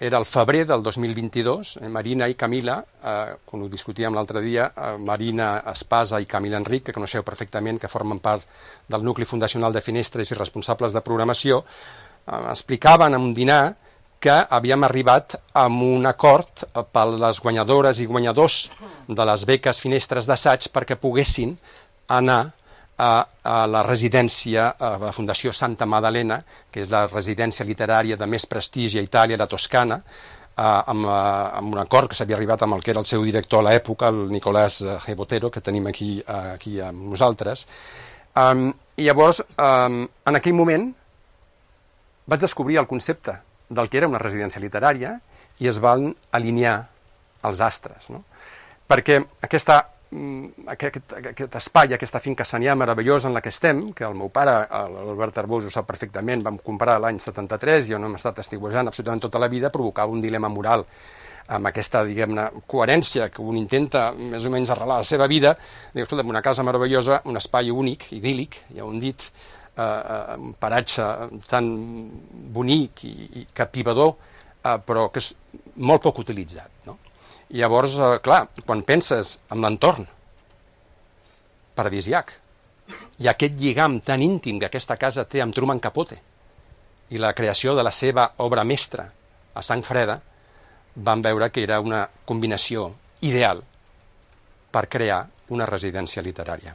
Era el febrer del 2022, Marina i Camila, quan ho discutíem l'altre dia, Marina Espasa i Camila Enric, que coneixeu perfectament, que formen part del nucli fundacional de Finestres i responsables de programació, explicaven en un dinar que havíem arribat a un acord per les guanyadores i guanyadors de les beques Finestres d'assaig perquè poguessin anar a la residència, a la Fundació Santa Maddalena, que és la residència literària de més prestigi a Itàlia, la Toscana, amb un acord que s'havia arribat amb el que era el seu director a l'època, el Nicolás G. Botero, que tenim aquí amb nosaltres. I llavors, en aquell moment, vaig descobrir el concepte del que era una residència literària i es van alinear els astres, no? Perquè aquest espai, aquesta finca sanià meravellosa en la que estem, que el meu pare, l'Albert Arbós, ho sap perfectament, vam comprar l'any 73 i on hem estat estiuejant absolutament tota la vida, provocava un dilema moral amb aquesta, diguem-ne, coherència que un intenta més o menys arrelar la seva vida. Diu, escolta, una casa meravellosa, un espai únic, idíl·lic, ja ho hem dit, un paratge tan bonic i captivador, però que és molt poc utilitzat, no? I llavors, clar, quan penses en l'entorn paradisiac i aquest lligam tan íntim que aquesta casa té amb Truman Capote i la creació de la seva obra mestra a Sang Freda, vam veure que era una combinació ideal per crear una residència literària.